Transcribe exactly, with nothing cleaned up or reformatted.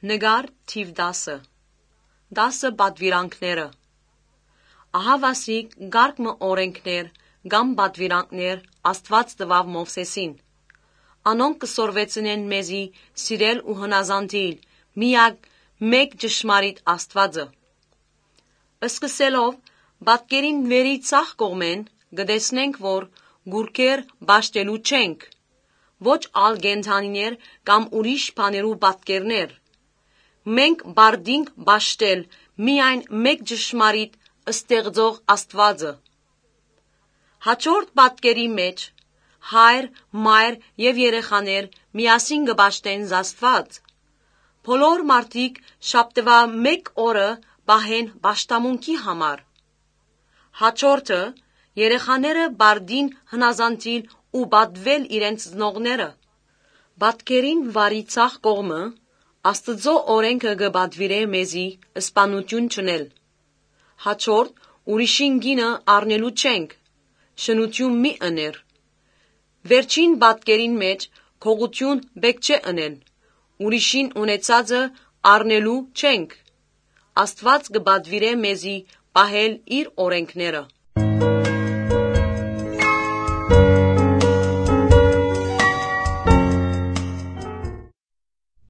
Նկար թիւ տասը։ Տասը պատուիրանքները։ Ահա վասիկ կարգ մը օրէնքներ կամ պատուիրանքներ Աստուած տուաւ Մովսէսին։ Անոնք կը սորվեցնեն մեզի սիրել ու հնազանդիլ միակ մէկ ճշմարիտ Աստուածը։ Սկսելով պատկերին վերի ձախ կողմէն, կը տեսնենք, որ կուռքեր պաշտելու չենք, ոչ ալ կենդանիներ կամ ուրիշ բաներու պատկերներ։ Մենք պարտինք պաշտել միայն մէկ ճշմարիտ ստեղծող Աստուածը։ Հաջորդ պատկերի մէջ հայր, մայր եւ երեխաներ միասին կը պաշտեն Աստուած։ Բոլոր մարդիկ շաբթուայ մէկ օրը պահեն պաշտամունքի համար։ Հաջորդը՝ երեխաները պարտին հնազանդիլ ու պատուել իրենց ծնողները։ Պատկերին վարի ձախ կողմը Աստուծոյ օրէնքը կը պատուիրէ մեզի սպանութիւն չընել։ Հաջորդ՝ ուրիշին կինը առնելու չենք, շնութիւն մի ըներ։ Վերջին պատկերին մէջ՝ գողութիւն պէտք չէ ընել, ուրիշին ունեցածը առնելու չենք։ Աստուած կը պատուիրէ մեզի պահել իր օրէնքները։